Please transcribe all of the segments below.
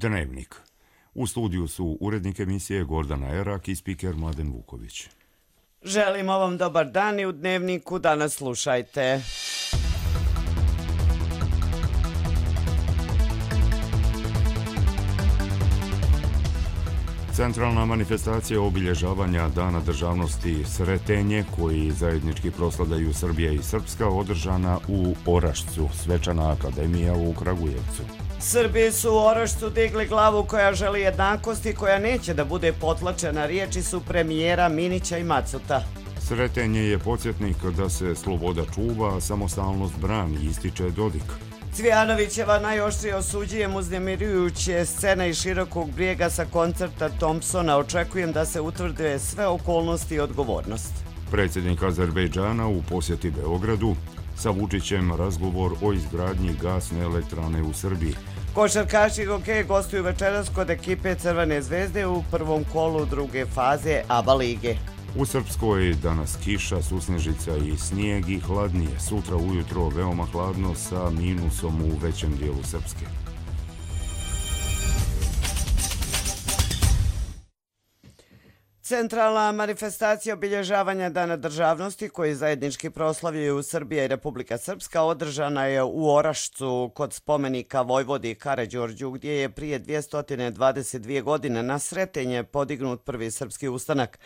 Dnevnik. U studiju su urednik emisije Gordana Erak i spiker Mladen Vuković. Želimo vam dobar dan i u Dnevniku danas slušajte. Centralna manifestacija obilježavanja Dana državnosti Sretenje, koji zajednički proslavljaju Srbija i Srpska, održana u Orašcu, Svečana akademija u Kragujevcu. Srbi su u Orašcu digli glavu koja želi jednakost i koja neće da bude potlačena, riječi su premijera Minića i Macuta. Sretenje je podsjetnik da se sloboda čuva, a samostalnost brani, ističe Dodik. Cvijanovićeva najoštrije osuđujem uznemirujuće scene iz Širokog Brijega sa koncerta Thompsona. Očekujem da se utvrde sve okolnosti i odgovornost. Predsjednik Azerbejdžana u posjeti Beogradu, sa Vučićem razgovor o izgradnji gasne elektrane u Srbiji. Košarkaši hokeja gostuju večeras kod ekipe Crvene zvezde u prvom kolu druge faze ABA lige. U Srpskoj danas kiša, susnežica i snijeg i hladnije. Sutra ujutro veoma hladno sa minusom u većem dijelu Srpske. Centralna manifestacija obilježavanja Dana državnosti koji zajednički proslavljaju Srbija i Republika Srpska održana je u Orašcu kod spomenika Vojvodi Karađorđu, gdje je prije 222 godine na Sretenje podignut prvi srpski ustanak.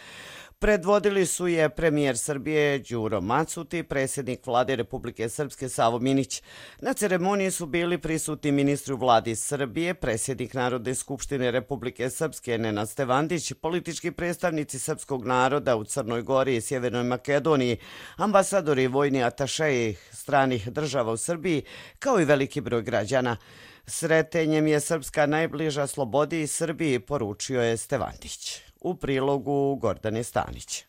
Predvodili su je premijer Srbije Đuro Macut i predsjednik vlade Republike Srpske Savo Minić. Na ceremoniji su bili prisutni ministri u vladi Srbije, predsjednik Narodne skupštine Republike Srpske Nenad Stevandić, politički predstavnici srpskog naroda u Crnoj Gori i Sjevernoj Makedoniji, ambasadori i vojni atašeji stranih država u Srbiji, kao i veliki broj građana. Sretenjem je Srpska najbliža slobodi i Srbiji, poručio je Stevandić. U prilogu Gordane Stanić.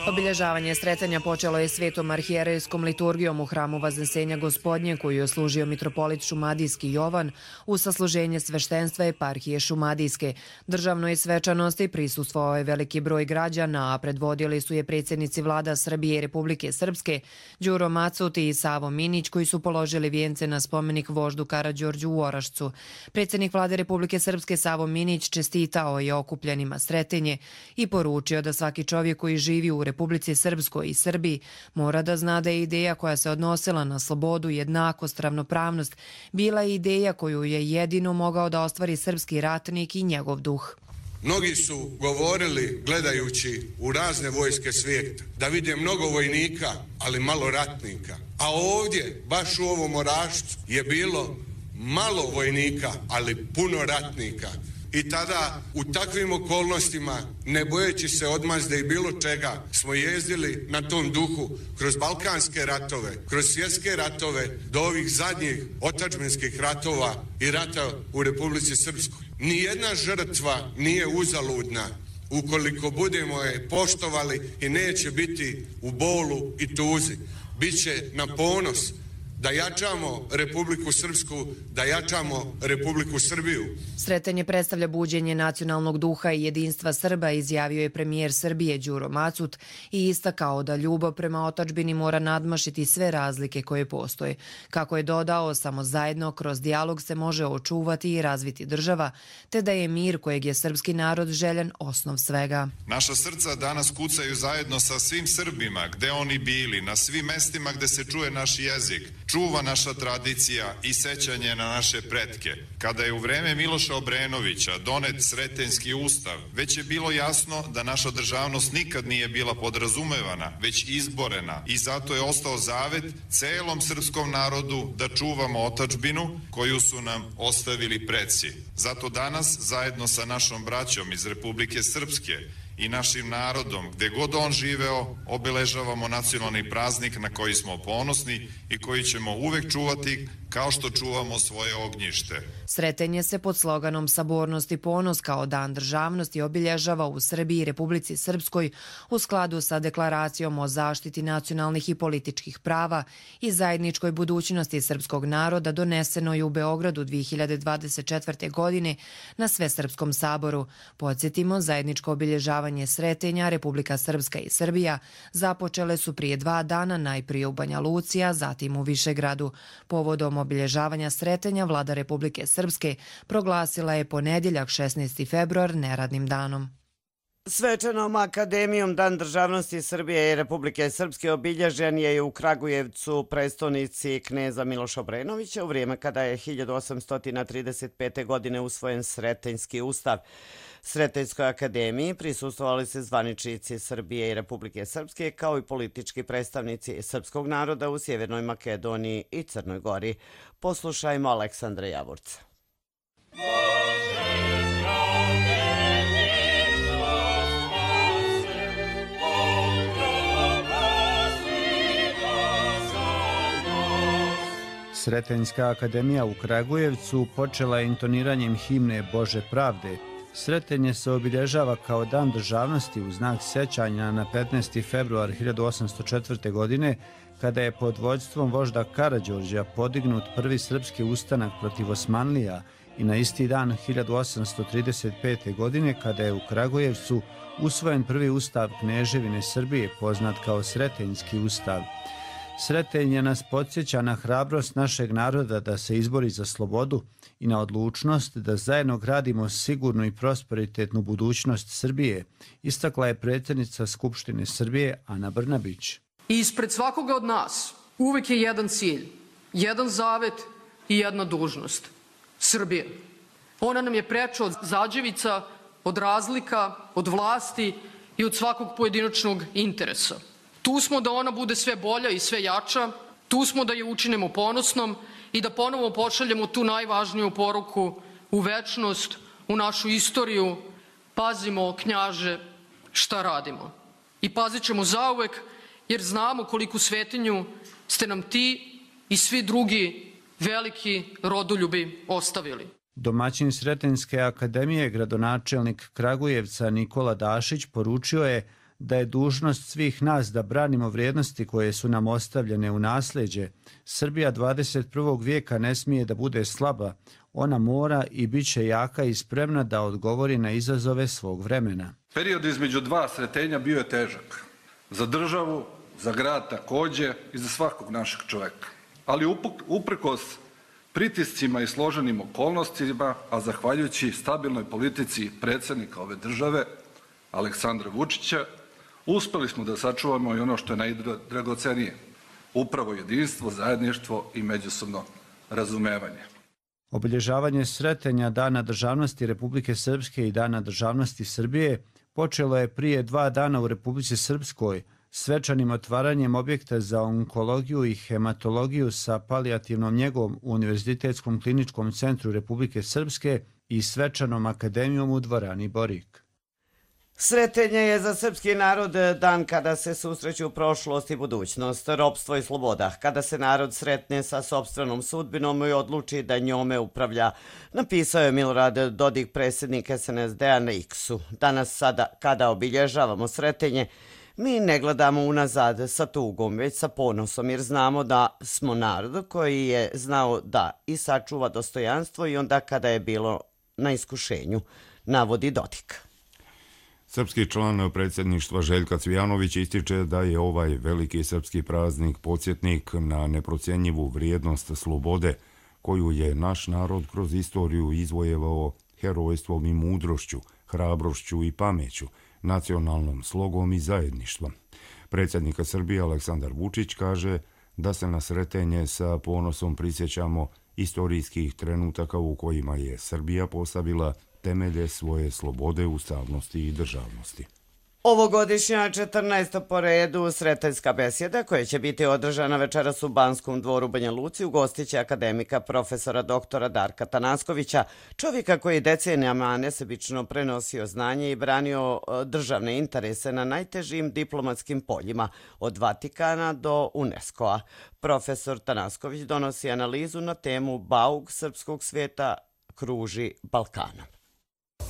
Obilježavanje Sretenja počelo je svetom arhijerejskom liturgijom u hramu Vaznesenja Gospodnje, koju je služio mitropolit Šumadijski Jovan u sasluženje sveštenstva eparhije Šumadijske. Državnoj svečanosti prisustvovao je veliki broj građana, a predvodili su je predsjednici vlada Srbije i Republike Srpske, Đuro Macut i Savo Minić, koji su položili vijence na spomenik voždu Karađorđu u Orašcu. Predsjednik vlade Republike Srpske Savo Minić čestitao je okupljenima Sretenje i poručio da svaki čovjek koji živi u Republici Srpskoj i Srbiji mora da zna da je ideja koja se odnosila na slobodu, jednakost, ravnopravnost bila ideja koju je jedino mogao da ostvari srpski ratnik i njegov duh. Mnogi su govorili, gledajući u razne vojske svijeta, da vide mnogo vojnika, ali malo ratnika. A ovdje, baš u ovom Orašcu, je bilo malo vojnika, ali puno ratnika. I tada, u takvim okolnostima, ne bojeći se odmazde i bilo čega, smo jezdili na tom duhu kroz balkanske ratove, kroz svjetske ratove, do ovih zadnjih otadžbinskih ratova i rata u Republici Srpskoj. Nijedna žrtva nije uzaludna ukoliko budemo je poštovali i neće biti u bolu i tuzi. Biće na ponos da jačamo Republiku Srpsku, da jačamo Republiku Srbiju. Sretenje predstavlja buđenje nacionalnog duha i jedinstva Srba, izjavio je premijer Srbije Đuro Macut i istakao da ljubav prema otadžbini mora nadmašiti sve razlike koje postoje. Kako je dodao, samo zajedno kroz dijalog se može očuvati i razviti država, te da je mir kojeg je srpski narod željen osnov svega. Naša srca danas kucaju zajedno sa svim Srbima, gde oni bili, na svim mestima gde se čuje naš jezik. Čuva naša tradicija i sećanje na naše pretke. Kada je u vreme Miloša Obrenovića donet Sretenjski ustav, već je bilo jasno da naša državnost nikad nije bila podrazumevana, već izborena, i zato je ostao zavet celom srpskom narodu da čuvamo otadžbinu koju su nam ostavili preci. Zato danas, zajedno sa našom braćom iz Republike Srpske i našim narodom, gde god on živeo, obeležavamo nacionalni praznik na koji smo ponosni i koji ćemo uvek čuvati kao što čuvamo svoje ognjište. Sretenje se pod sloganom Sabornost i ponos kao Dan državnosti obilježava u Srbiji i Republici Srpskoj u skladu sa deklaracijom o zaštiti nacionalnih i političkih prava i zajedničkoj budućnosti srpskog naroda donesenoj u Beogradu 2024. godine na Svesrpskom saboru. Podsjetimo, zajedničko obilježavanje obilježavanje Sretenja, Republika Srpska i Srbija započele su prije 2 dana, najprije u Banja Luci, a zatim u Višegradu. Povodom obilježavanja Sretenja vlada Republike Srpske proglasila je ponedjeljak 16. februar neradnim danom. Svečanom akademijom Dan državnosti Srbije i Republike Srpske obilježen je u Kragujevcu, prestonici kneza Miloša Obrenovića, u vrijeme kada je 1835. godine usvojen Sretenjski ustav. Sretenjskoj akademiji prisustvovali se zvaničnici Srbije i Republike Srpske, kao i politički predstavnici srpskog naroda u Sjevernoj Makedoniji i Crnoj Gori. Poslušajmo Aleksandra Javorca. Sretenjska akademija u Kragujevcu počela je intoniranjem himne Bože pravde. Sretenje se obilježava kao dan državnosti u znak sjećanja na 15. februar 1804. godine, kada je pod vođstvom vožda Karađorđa podignut prvi srpski ustanak protiv Osmanlija, i na isti dan 1835. godine kada je u Kragujevcu usvojen prvi ustav Kneževine Srbije, poznat kao Sretenjski ustav. Sretenje nas podsjeća na hrabrost našeg naroda da se izbori za slobodu i na odlučnost da zajedno gradimo sigurnu i prosperitetnu budućnost Srbije, istakla je predsjednica Skupštine Srbije Ana Brnabić. Ispred svakoga od nas uvek je jedan cilj, jedan zavet i jedna dužnost. Srbije. Ona nam je preča od zađevica, od razlika, od vlasti i od svakog pojedinačnog interesa. Tu smo da ona bude sve bolja i sve jača, tu smo da je učinimo ponosnom i da ponovo pošaljemo tu najvažniju poruku u večnost, u našu istoriju. Pazimo, knjaže, šta radimo. I pazit ćemo zauvek, jer znamo koliku svetinju ste nam ti i svi drugi veliki rodoljubi ostavili. Domaćin Sretenjske akademije, gradonačelnik Kragujevca Nikola Dašić, poručio je da je dužnost svih nas da branimo vrijednosti koje su nam ostavljene u nasljeđe. Srbija 21. vijeka ne smije da bude slaba. Ona mora i bit će jaka i spremna da odgovori na izazove svog vremena. Period između dva sretenja bio je težak. Za državu, za grad također i za svakog našeg čovjeka. Ali uprkos pritiscima i složenim okolnostima, a zahvaljujući stabilnoj politici predsjednika ove države, Aleksandra Vučića, uspjeli smo da sačuvamo i ono što je najdragocenije, upravo jedinstvo, zajedništvo i međusobno razumevanje. Obilježavanje Sretenja Dana državnosti Republike Srpske i Dana državnosti Srbije počelo je prije 2 dana u Republici Srpskoj, svečanim otvaranjem objekta za onkologiju i hematologiju sa palijativnom njegom u Univerzitetskom kliničkom centru Republike Srpske i svečanom akademijom u dvorani Borik. Sretenje je za srpski narod dan kada se susreću prošlost i budućnost, ropstvo i sloboda, kada se narod sretne sa sopstvenom sudbinom i odluči da njome upravlja, napisao je Milorad Dodik, predsjednik SNSD-a na X-u. Danas sada, kada obilježavamo Sretenje, mi ne gledamo unazad sa tugom, već sa ponosom, jer znamo da smo narod koji je znao da i sačuva dostojanstvo i onda kada je bilo na iskušenju, navodi Dodik. Srpski član predsjedništva Željka Cvijanović ističe da je ovaj veliki srpski praznik podsjetnik na neprocjenjivu vrijednost slobode koju je naš narod kroz istoriju izvojevao herojstvom i mudrošću, hrabrošću i pameću, nacionalnom slogom i zajedništvom. Predsjednika Srbije Aleksandar Vučić kaže da se na Sretenje sa ponosom prisjećamo istorijskih trenutaka u kojima je Srbija postavila temelje svoje slobode, ustavnosti i državnosti. Ovogodišnja 14. po redu Sretenjska besjeda, koja će biti održana večeras u Banskom dvoru Banja Luci, ugostiće akademika profesora doktora Darka Tanaskovića, čovjeka koji decenijama nesebično prenosio znanje i branio državne interese na najtežim diplomatskim poljima, od Vatikana do UNESCO-a. Profesor Tanasković donosi analizu na temu Bauk srpskog svijeta kruži Balkanom.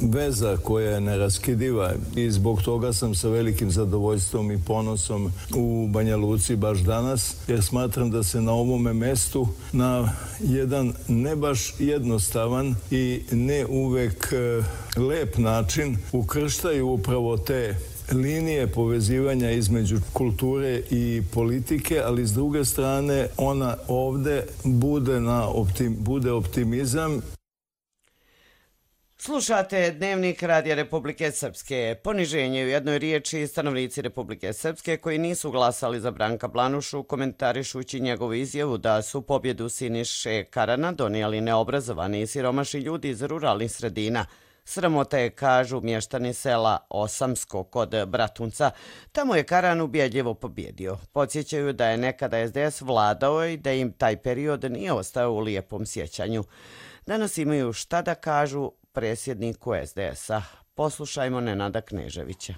veza koja je neraskidiva i zbog toga sam sa velikim zadovoljstvom i ponosom u Banja Luci baš danas, jer smatram da se na ovome mestu na jedan ne baš jednostavan i ne uvek lep način ukrštaju upravo te linije povezivanja između kulture i politike, ali s druge strane ona ovde bude optimizam. Slušate Dnevnik Radija Republike Srpske. Poniženje u jednoj riječi stanovnici Republike Srpske koji nisu glasali za Branka Blanušu komentarišući njegovu izjavu da su pobjedu Siniše Karana donijeli neobrazovani i siromašni ljudi iz ruralnih sredina. Sramota je, kažu mještani sela Osamsko kod Bratunca. Tamo je Karan ubjedljivo pobjedio. Podsjećaju da je nekada SDS vladao i da im taj period nije ostao u lijepom sjećanju. Danas imaju šta da kažu predsjedniku SDS-a. Poslušajmo Nenada Kneževića.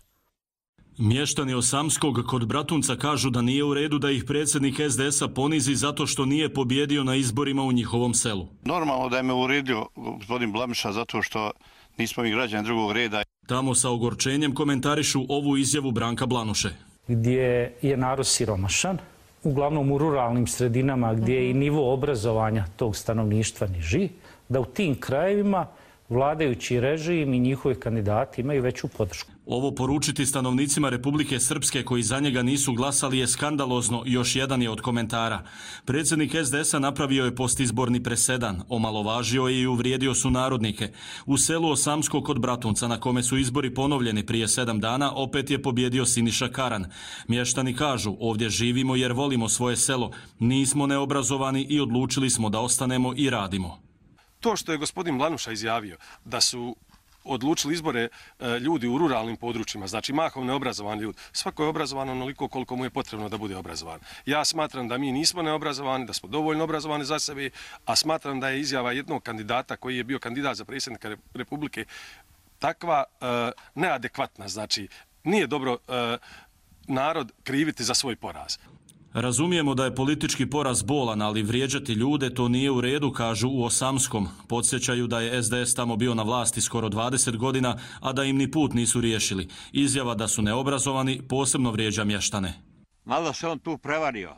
Mještani Osamskog kod Bratunca kažu da nije u redu da ih predsjednik SDS-a ponizi zato što nije pobjedio na izborima u njihovom selu. Normalno da je me uredio gospodin Blamiša zato što nismo mi građani drugog reda. Tamo sa ogorčenjem komentarišu ovu izjavu Branka Blanuše. Gdje je narod siromašan, uglavnom u ruralnim sredinama gdje je i nivo obrazovanja tog stanovništva niži, da u tim krajevima vladajući režim i njihovi kandidati imaju veću podršku. Ovo poručiti stanovnicima Republike Srpske koji za njega nisu glasali je skandalozno, još jedan je od komentara. Predsjednik SDS-a napravio je postizborni presedan, omalovažio je i uvrijedio su narodnike. U selu Osamsko kod Bratunca, na kome su izbori ponovljeni prije 7 dana, opet je pobjedio Siniša Karan. Mještani kažu, ovdje živimo jer volimo svoje selo, nismo neobrazovani i odlučili smo da ostanemo i radimo. To što je gospodin Blanuša izjavio da su odlučili izbore ljudi u ruralnim područjima, znači mahom neobrazovani ljudi. Svako je obrazovan onoliko koliko mu je potrebno da bude obrazovan. Ja smatram da mi nismo neobrazovani, da smo dovoljno obrazovani za sebe, a smatram da je izjava jednog kandidata koji je bio kandidat za predsjednika Republike takva neadekvatna. Znači, nije dobro narod kriviti za svoj poraz. Razumijemo da je politički poraz bolan, ali vrijeđati ljude to nije u redu, kažu u Osamskom. Podsjećaju da je SDS tamo bio na vlasti skoro 20 godina, a da im ni put nisu riješili. Izjava da su neobrazovani posebno vrijeđa mještane. Malo se on tu prevario.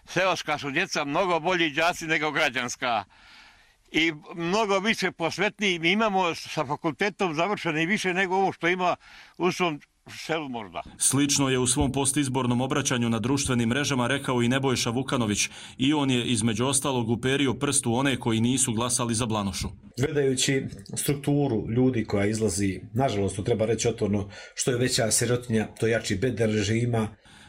Seoska su djeca mnogo bolji đaci nego građanska i mnogo više posvetniji. Mi imamo sa fakultetom završeni više nego ovo što ima u svom selu možda. Slično je u svom postizbornom obraćanju na društvenim mrežama rekao i Nebojša Vukanović i on je između ostalog uperio prst u one koji nisu glasali za Blanušu. Gledajući strukturu ljudi koja izlazi, nažalost, to treba reći otvoreno, što je veća sirotinja, to jači bedel režima.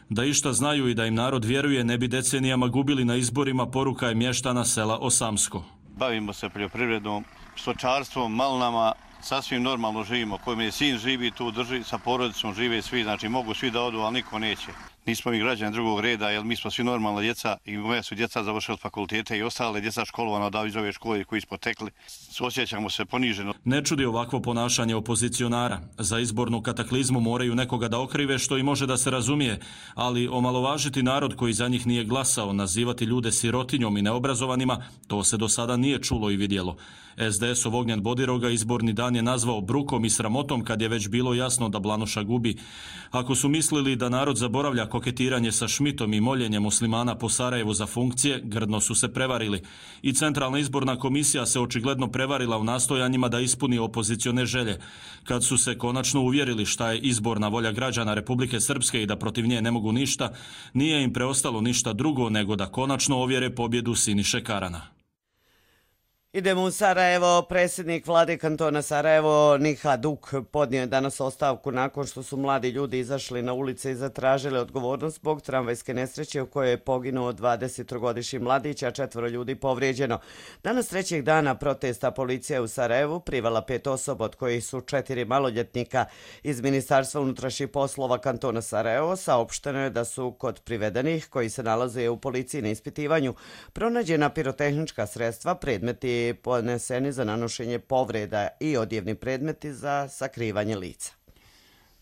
Da išta znaju i da im narod vjeruje, ne bi decenijama gubili na izborima, poruka je mještana sela Osamsko. Bavimo se poljoprivredom, stočarstvom, malnama, sasvim normalno živimo. Koji mi sin živi tu drži, sa porodicom žive svi, znači mogu svi da odu, ali niko neće. Nismo mi građani drugog reda, jer mi smo svi normalna djeca i moja su djeca završili fakultete i ostale djeca školovana da iz ove škole koji smo tekli. Osjećamo se poniženo. Ne čudi ovakvo ponašanje opozicionara. Za izbornu kataklizmu moraju nekoga da okrive, što i može da se razumije, ali omalovažiti narod koji za njih nije glasao, nazivati ljude sirotinjom i neobrazovanima, to se do sada nije čulo i vidjelo. SDS-ov Ognjen Bodiroga izborni dan je nazvao brukom i sramotom kad je već bilo jasno da Blanuša gubi. Ako su mislili da narod zaboravlja koketiranje sa Šmitom i moljenje muslimana po Sarajevu za funkcije, grdno su se prevarili. I Centralna izborna komisija se očigledno prevarila u nastojanjima da ispuni opozicione želje. Kad su se konačno uvjerili šta je izborna volja građana Republike Srpske i da protiv nje ne mogu ništa, nije im preostalo ništa drugo nego da konačno ovjere pobjedu Siniše Karana. Idemo u Sarajevo. Predsjednik vlade kantona Sarajevo Niha Duk podnio je danas ostavku nakon što su mladi ljudi izašli na ulice i zatražili odgovornost zbog tramvajske nesreće u kojoj je poginuo 23-godišnji mladić, a 4 ljudi povrijeđeno. Danas 3. dana protesta policija u Sarajevu privela 5 osoba, od kojih su 4 maloljetnika. Iz Ministarstva unutrašnjih poslova kantona Sarajevo saopšteno je da su kod privedenih, koji se nalaze u policiji na ispitivanju, pronađena pirotehnička sredstva, predmeti podneseni za nanošenje povreda i odjevni predmeti za sakrivanje lica.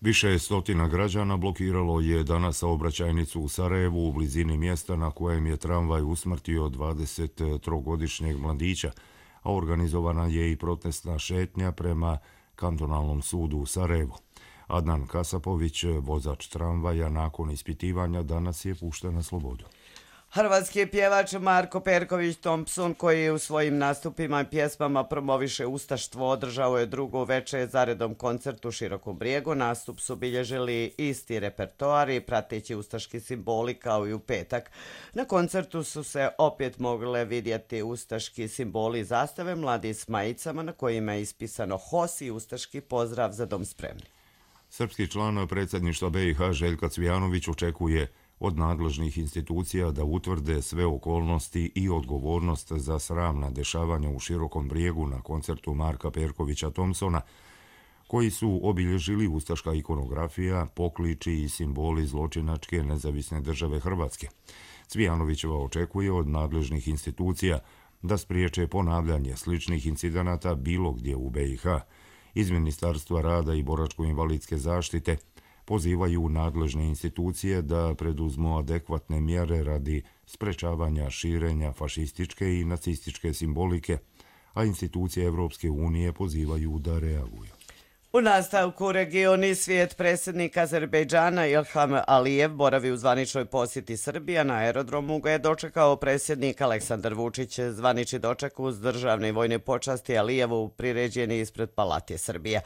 Više stotina građana blokiralo je danas saobraćajnicu u Sarajevu u blizini mjesta na kojem je tramvaj usmrtio 23-godišnjeg mladića, a organizovana je i protestna šetnja prema kantonalnom sudu u Sarajevu. Adnan Kasapović, vozač tramvaja, nakon ispitivanja danas je pušten na slobodu. Hrvatski pjevač Marko Perković Thompson, koji u svojim nastupima i pjesmama promoviše ustaštvo, održao je drugo veče zaredom koncert u Širokom Brijegu. Nastup su bilježili isti repertoari, prateći ustaški simboli kao i u petak. Na koncertu su se opet mogle vidjeti ustaški simboli i zastave, mladi s majicama na kojima je ispisano HOS i ustaški pozdrav za dom spremni. Srpski član predsjedništva BiH Željka Cvijanović očekuje od nadležnih institucija da utvrde sve okolnosti i odgovornost za sramna dešavanja u Širokom Brijegu na koncertu Marka Perkovića Thompsona, koji su obilježili ustaška ikonografija, pokliči i simboli zločinačke nezavisne države Hrvatske. Cvijanovićeva očekuje od nadležnih institucija da spriječe ponavljanje sličnih incidenata bilo gdje u BiH. Iz Ministarstva rada i boračko-invalidske zaštite pozivaju nadležne institucije da preduzmu adekvatne mjere radi sprečavanja širenja fašističke i nacističke simbolike, a institucije Evropske unije pozivaju da reaguju. U nastavku regioni svijet predsjednik Azerbejdžana Ilham Alijev boravi u zvaničnoj posjeti Srbije. Na aerodromu ga je dočekao predsjednik Aleksandar Vučić. Zvanični doček uz državne i vojne počasti Alijevu priređen je ispred Palatije Srbije.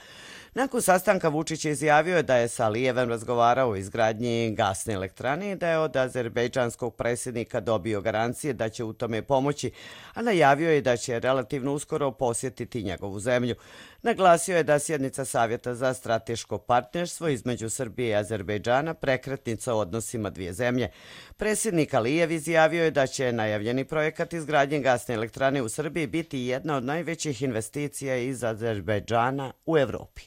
Nakon sastanka Vučić izjavio da je sa Alijevem razgovarao o izgradnji gasne elektrane i da je od azerbejdžanskog predsjednika dobio garancije da će u tome pomoći, a najavio je da će relativno uskoro posjetiti njegovu zemlju. Naglasio je da sjednica Savjeta za strateško partnerstvo između Srbije i Azerbejdžana prekretnica u odnosima dvije zemlje. Predsjednik Alijev izjavio je da će najavljeni projekat izgradnje gasne elektrane u Srbiji biti jedna od najvećih investicija iz Azerbejdžana u Evropi.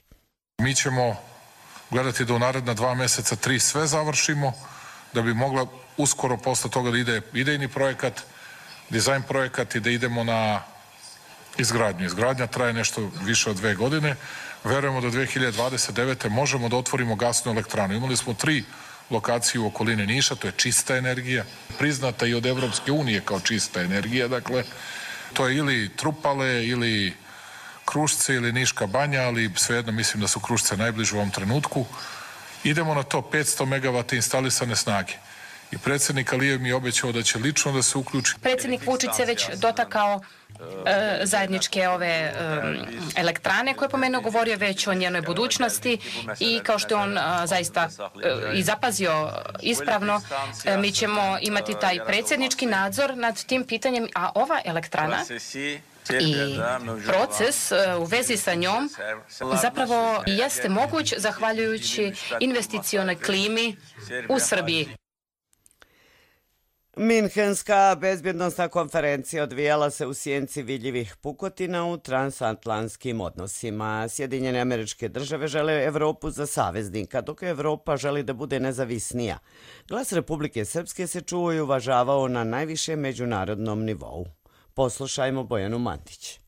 Mi ćemo gledati da u naredna 2 mjeseca 3 sve završimo, da bi mogla uskoro posle toga da ide idejni projekat, dizajn projekat i da idemo na izgradnju. Izgradnja traje nešto više od 2 godine. Verujemo da 2029. možemo da otvorimo gasnu elektranu. Imali smo 3 lokacije u okolini Niša, to je čista energija, priznata i od Evropske unije kao čista energija, dakle, to je ili Trupale, ili Krušce ili Niška banja, ali svejedno mislim da su Krušce najbliže u ovom trenutku. Idemo na to 500 MW instalisane snage. I predsjednik Alijev mi je obećao da će lično da se uključi. Predsjednik Vučić se već dotakao zajedničke ove elektrane koje po mene govorio već o njenoj budućnosti i kao što je on zaista i zapazio ispravno, mi ćemo imati taj predsjednički nadzor nad tim pitanjem, a ova elektrana i proces u vezi sa njom zapravo jeste moguć zahvaljujući investicionoj klimi u Srbiji. Minhenska bezbjednosna konferencija odvijala se u sjenci vidljivih pukotina u transatlantskim odnosima. Sjedinjene Američke Države žele Evropu za saveznika, dok Evropa želi da bude nezavisnija. Glas Republike Srpske se čuo i uvažavao na najvišem međunarodnom nivou. Poslušajmo Bojanu Mantić.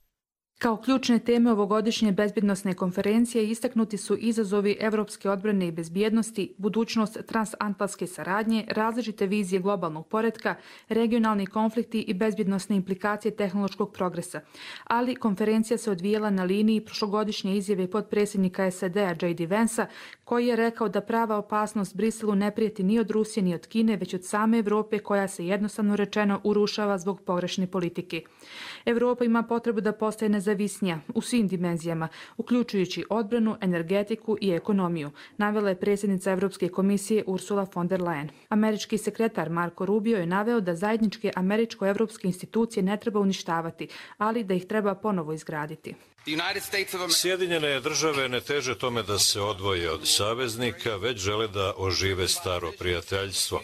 Kao ključne teme ovogodišnje bezbjednosne konferencije istaknuti su izazovi evropske odbrane i bezbjednosti, budućnost transatlantske saradnje, različite vizije globalnog poretka, regionalni konflikti i bezbjednosne implikacije tehnološkog progresa. Ali konferencija se odvijela na liniji prošlogodišnje izjave potpredsjednika SAD-a J.D. Vansa, koji je rekao da prava opasnost Briselu ne prijeti ni od Rusije ni od Kine, već od same Evrope koja se jednostavno rečeno urušava zbog pogrešne politike. Evropa ima potrebu da postaje nezavisnija u svim dimenzijama, uključujući odbranu, energetiku i ekonomiju, navela je predsjednica Evropske komisije Ursula von der Leyen. Američki sekretar Marco Rubio je naveo da zajedničke američko-evropske institucije ne treba uništavati, ali da ih treba ponovo izgraditi. Sjedinjene države ne teže tome da se odvoje od saveznika, već žele da ožive staro prijateljstvo.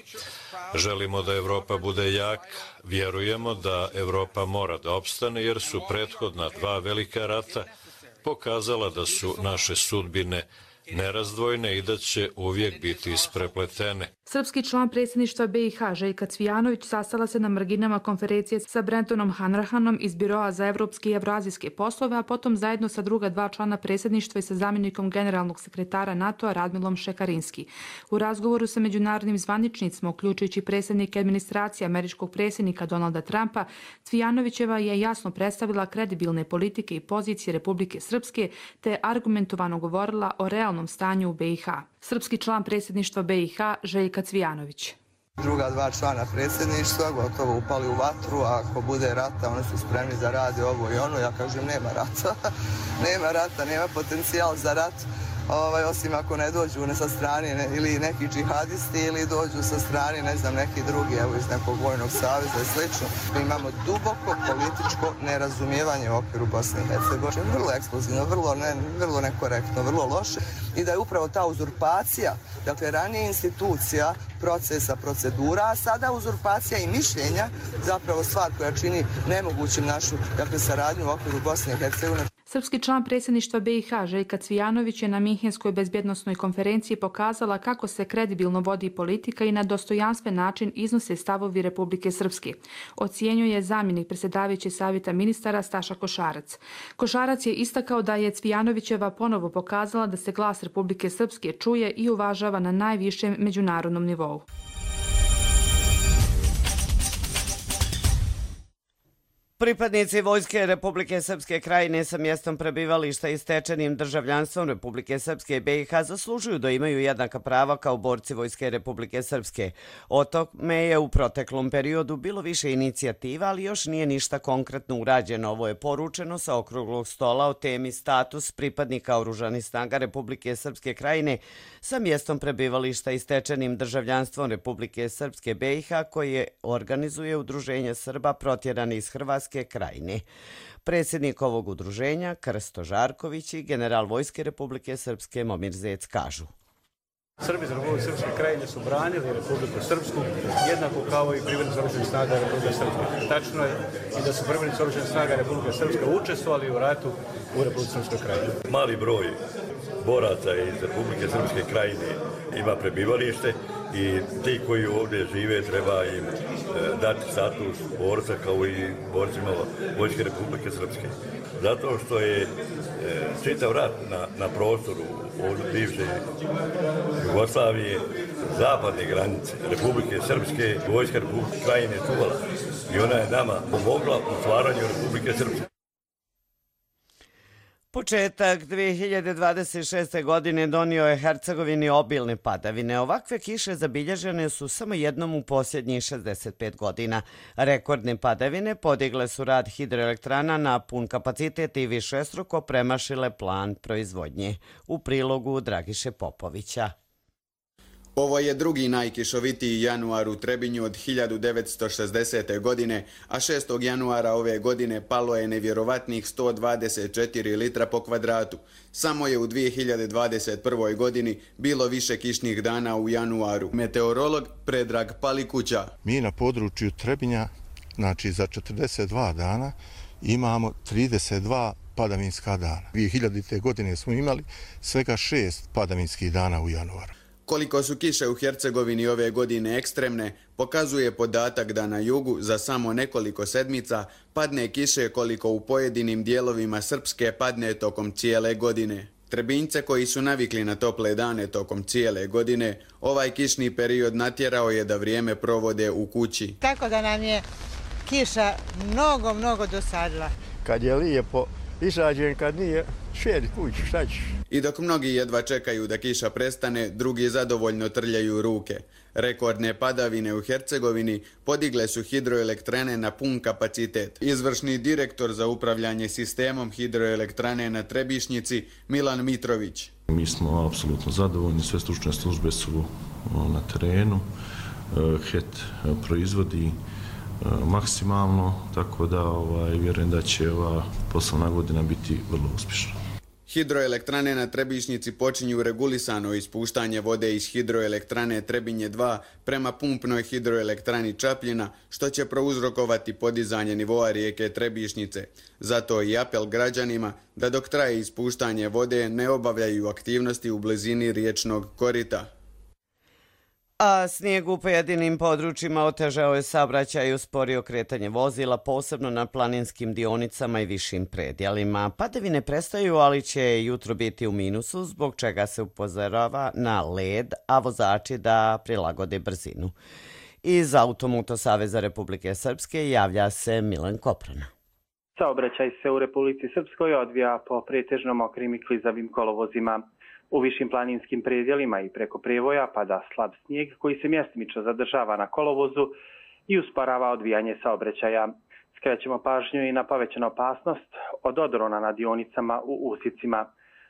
Želimo da Evropa bude jaka, vjerujemo da Evropa mora da opstane jer su prethodna 2 velika rata pokazala da su naše sudbine nerazdvojne i da će uvijek biti isprepletene. Srpski član predsjedništva BiH Željka Cvijanović sastala se na marginama konferencije sa Brentonom Hanrahanom iz Biroa za evropske i evroazijske poslove, a potom zajedno sa druga dva člana predsjedništva i sa zamjenikom generalnog sekretara NATO-a Radmilom Šekarinski. U razgovoru sa međunarodnim zvaničnicima, uključujući predsjednike administracije američkog predsjednika Donalda Trumpa, Cvijanovićeva je jasno predstavila kredibilne politike i pozicije Republike Srpske te argumentovano govorila o realnom stanju u BiH. Srpski član predsjedništva BiH Željka Cvijanović. Druga dva člana predsjedništva gotovo upali u vatru, a ako bude rata, oni su spremni da rade ovo i ono. Ja kažem, nema rata, nema rata, nema potencijal za rat, osim ako ne dođu sa strane ili neki džihadisti ili dođu sa strane, ne znam, neki drugi, evo iz nekog vojnog saveza i slično. Mi imamo duboko političko nerazumijevanje u okviru Bosne i Hercegovine, vrlo eksplozivno, vrlo nekorektno, vrlo loše, i da je upravo ta uzurpacija, dakle ranije institucija, procesa, procedura, a sada uzurpacija i mišljenja zapravo stvar koja čini nemogućim našu, dakle, saradnju u okviru Bosne i Hercegovine. Srpski član predsjedništva BiH Željka Cvijanović je na Minhenskoj bezbjednosnoj konferenciji pokazala kako se kredibilno vodi politika i na dostojanstven način iznose stavovi Republike Srpske. Ocjenjuje zamjenik predsjedavajuće savjeta ministara Staša Košarac. Košarac je istakao da je Cvijanovićeva ponovo pokazala da se glas Republike Srpske čuje i uvažava na najvišem međunarodnom nivou. Pripadnici Vojske Republike Srpske Krajine sa mjestom prebivališta i stečenim državljanstvom Republike Srpske i BiH zaslužuju da imaju jednaka prava kao borci Vojske Republike Srpske. O tome je u proteklom periodu bilo više inicijativa, ali još nije ništa konkretno urađeno. Ovo je poručeno sa okruglog stola o temi status pripadnika Oružanih snaga Republike Srpske Krajine sa mjestom prebivališta i stečenim državljanstvom Republike Srpske BiH koje organizuje Udruženje Srba protjerani iz Hrvatske Krajine. Predsjednik ovog udruženja, Krsto Žarković, i general Vojske Republike Srpske Momir Zec kažu: Srbi iz Republike Srpske Krajine su branili Republiku Srpsku jednako kao i pripadnici Oružanih snaga Republike Srpske. Tačno je i da su pripadnici Oružanih snaga Republike Srpske učestvovali u ratu u Republike Srpske Krajine. Mali broj boraca iz Republike Srpske Krajine ima prebivalište i ti koji ovdje žive treba im dati status borca kao i borcima Vojske Republike Srpske. Zato što je čitav rat na prostoru bivše Jugoslavije, zapadne granice Republike Srpske, Vojska Republike Krajine čuvala i ona je nama pomogla u stvaranju Republike Srpske. Početak 2026. godine donio je Hercegovini obilne padavine. Ovakve kiše zabilježene su samo jednom u posljednjih 65 godina. Rekordne padavine podigle su rad hidroelektrana na pun kapacitet i višestruko premašile plan proizvodnje. U prilogu Dragiše Popovića. Ovo je drugi najkišovitiji januar u Trebinju od 1960. godine, a 6. januara ove godine palo je nevjerovatnih 124 litra po kvadratu. Samo je u 2021. godini bilo više kišnih dana u januaru. Meteorolog Predrag Palikuća. Mi na području Trebinja, znači za 42 dana, imamo 32 padavinska dana. 2000. godine smo imali svega 6 padavinskih dana u januaru. Koliko su kiše u Hercegovini ove godine ekstremne, pokazuje podatak da na jugu za samo nekoliko sedmica padne kiše koliko u pojedinim dijelovima Srpske padne tokom cijele godine. Trebinjce koji su navikli na tople dane tokom cijele godine, ovaj kišni period natjerao je da vrijeme provode u kući. Tako da nam je kiša mnogo dosadila. Kad je lijepo, izađem, kad nije, šedi kući, šta ćeš? I dok mnogi jedva čekaju da kiša prestane, drugi zadovoljno trljaju ruke. Rekordne padavine u Hercegovini podigle su hidroelektrane na pun kapacitet. Izvršni direktor za upravljanje sistemom hidroelektrane na Trebišnjici, Milan Mitrović. Mi smo apsolutno zadovoljni, sve stručne službe su na terenu, HET proizvodi maksimalno, tako da vjerujem da će ova poslovna godina biti vrlo uspješna. Hidroelektrane na Trebišnjici počinju regulisano ispuštanje vode iz hidroelektrane Trebinje 2 prema pumpnoj hidroelektrani Čapljina, što će prouzrokovati podizanje nivoa rijeke Trebišnjice. Zato i apel građanima da dok traje ispuštanje vode ne obavljaju aktivnosti u blizini riječnog korita. A snijeg u pojedinim područjima otežao je saobraćaj i usporio kretanje vozila, posebno na planinskim dionicama i višim predjelima. Padavine prestaju, ali će jutro biti u minusu, zbog čega se upozorava na led, a vozači da prilagode brzinu. Iz Automoto Saveza Republike Srpske javlja se Milan Koprana. Saobraćaj se u Republici Srpskoj odvija po pretežno mokrim i klizavim kolovozima. U višim planinskim predjelima i preko prevoja pada slab snijeg koji se mjestimično zadržava na kolovozu i usporava odvijanje saobraćaja. Skrećemo pažnju i na povećanu opasnost od odrona na dionicama u usicima.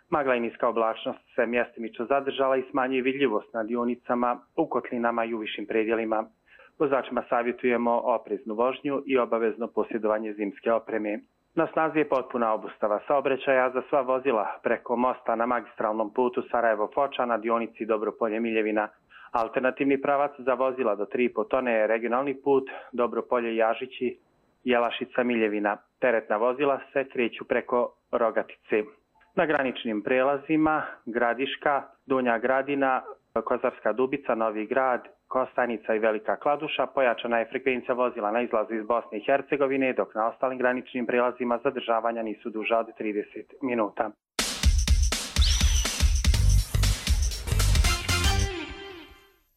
Magla i niska oblačnost se mjestimično zadržala i smanjuje vidljivost na dionicama, u kotlinama i u višim predjelima. Vozačima savjetujemo opreznu vožnju i obavezno posjedovanje zimske opreme. Na snazi je potpuna obustava saobraćaja za sva vozila preko mosta na magistralnom putu Sarajevo-Foča na dionici Dobropolje-Miljevina. Alternativni pravac za vozila do 3,5 tone je regionalni put Dobropolje-Jažići, Jelašica-Miljevina. Teretna vozila se kreću preko Rogatice. Na graničnim prelazima Gradiška, Donja Gradina, Kozarska Dubica, Novi Grad, Kostajnica i Velika Kladuša pojačana je frekvencija vozila na izlazu iz Bosne i Hercegovine, dok na ostalim graničnim prelazima zadržavanja nisu duža od 30 minuta.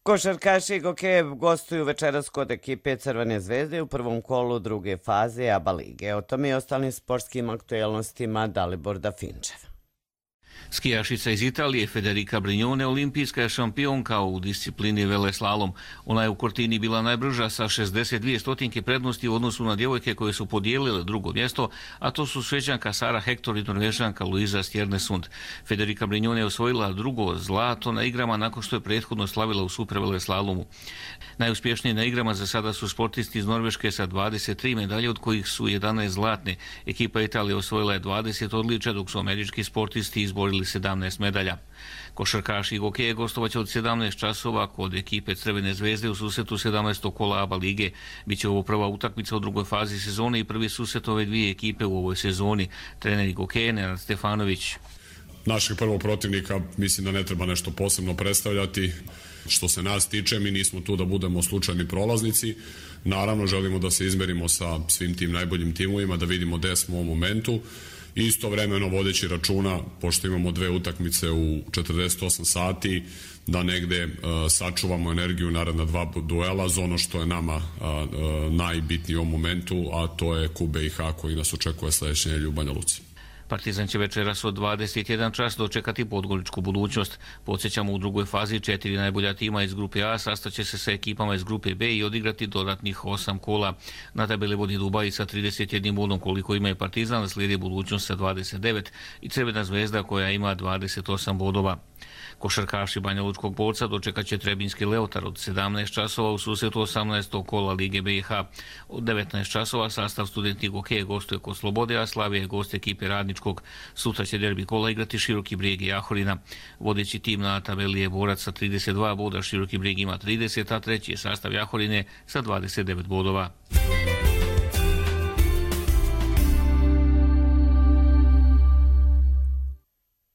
Košarkaši Gokejev gostuju večeras kod ekipe Crvene zvezde u prvom kolu druge faze ABA lige. O tome i ostalim sportskim aktuelnostima Dalibor Dafinčev. Skijašica iz Italije Federica Brignone olimpijska je šampionka u disciplini veleslalom. Ona je u Cortini bila najbrža sa 62 stotinke prednosti u odnosu na djevojke koje su podijelile drugo mjesto, a to su Šveđanka Sara Hector i Norvežanka Luisa Stjernesund. Federica Brignone je osvojila drugo zlato na igrama nakon što je prethodno slavila u superveleslalomu. Najuspješniji na igrama za sada su sportisti iz Norveške sa 23 medalje, od kojih su 11 zlatne. Ekipa Italije osvojila je 20 odličja, dok su američki sportisti izborili 17 medalja. Košarkaši Gokeje gostovaće od 17 časova kod ekipe Crvene zvezde u susretu 17. kola ABA lige. Biće ovo prva utakmica u drugoj fazi sezone i prvi susret ove dvije ekipe u ovoj sezoni. Trener Gokeje Nenad Stefanović. Našeg prvog protivnika mislim da ne treba nešto posebno predstavljati. Što se nas tiče, mi nismo tu da budemo slučajni prolaznici. Naravno, želimo da se izmerimo sa svim tim najboljim timovima, da vidimo gde smo u ovom momentu. Istovremeno vodeći računa, pošto imamo dve utakmice u 48 sati, da negde sačuvamo energiju naredna dva duela za ono što je nama najbitnije u ovom momentu, a to je QBIH koji nas očekuje sledeće nedelje u Banja Luci. Partizan će večeras od 21 čas dočekati podgoričku budućnost. Podsjećamo, u drugoj fazi 4 najbolja tima iz grupe A sastaće se sa ekipama iz grupe B i odigrati dodatnih 8 kola. Na tabeli vodi Dubai sa 31 bodom koliko ima i Partizan, slijedi budućnost sa 29 i Crvena zvezda koja ima 28 bodova. Košarkaši Banja Lučkog Borca dočekat će Trebinski Leotar od 17 časova u susretu 18. kola Lige BiH. Od 19 časova sastav Studenti Gokeje gostuje kod Slobode, a Slavija je gost ekipe Radničkog. Sutra će derbi kola igrati Široki Brijeg i Jahorina. Vodeći tim na tabeli je Borac sa 32 boda, Široki Brijeg ima 30, a treći je sastav Jahorine sa 29 bodova.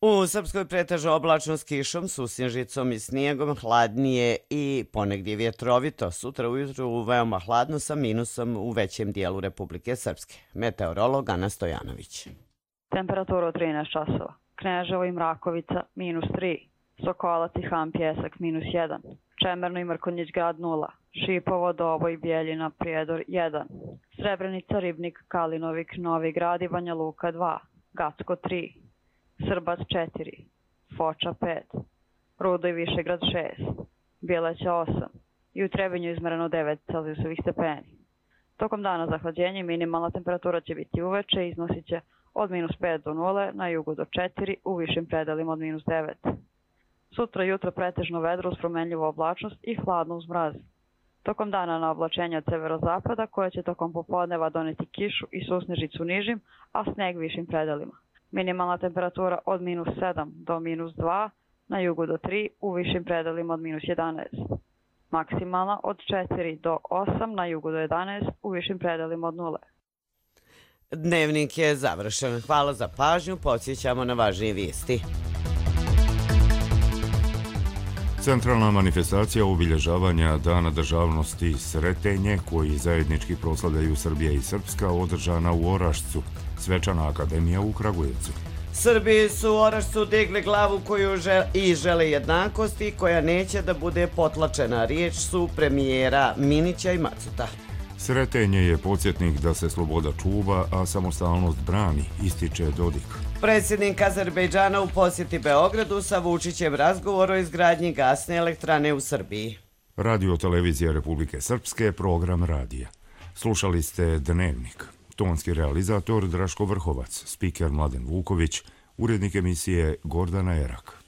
U Srpskoj pretežno oblačno s kišom, susnježicom i snijegom, hladnije i ponegdje vjetrovito. Sutra ujutru veoma hladno sa minusom u većem dijelu Republike Srpske. Meteorolog Ana Stojanović. Temperatura od 13 časova. Kneževo i Mrakovica -3. Sokolac i Han Pjesak -1. Čemerno i Mrkonjić grad 0. Šipovo, Doboj, Bijeljina, Prijedor 1. Srebrenica, Ribnik, Kalinovik, Novi Grad i Banja Luka 2. Gacko 3. Srbac 4, Foča 5, Rudo i Višegrad 6, Bjeleća 8 i u Trebinju izmereno 9 celzijusovih stepeni. Tokom dana zahlađenja minimalna temperatura će biti uveče i iznosit će od -5 do 0, na jugu do 4, u višim predelima od -9. Sutra jutro pretežno vedro uz promenljivu oblačnost i hladno uz mraz. Tokom dana na oblačenje od severozapada koje će tokom popodneva doneti kišu i susnežicu nižim, a sneg višim predelima. Minimalna temperatura od -7 do -2, na jugu do 3, u višim predelima od -11. Maksimalna od 4 do 8, na jugu do 11, u višim predelima od 0. Dnevnik je završen. Hvala za pažnju. Podsjećamo na važnije vijesti. Centralna manifestacija obilježavanja Dana državnosti Sretenje, koji zajednički proslavljaju Srbija i Srpska, održana u Orašcu, Svečana akademija u Kragujevcu. Srbi su u Orašcu digli glavu koju žele jednakosti, koja neće da bude potlačena. Riječ su premijera Minića i Macuta. Sretenje je podsjetnik da se sloboda čuva, a samostalnost brani, ističe Dodik. Predsjednik Azerbejdžana u posjeti Beogradu sa Vučićem razgovor o izgradnji gasne elektrane u Srbiji. Radio televizija Republike Srpske, program radija. Slušali ste Dnevnik. Tonski realizator Draško Vrhovac, spiker Mladen Vuković, urednik emisije Gordana Erak.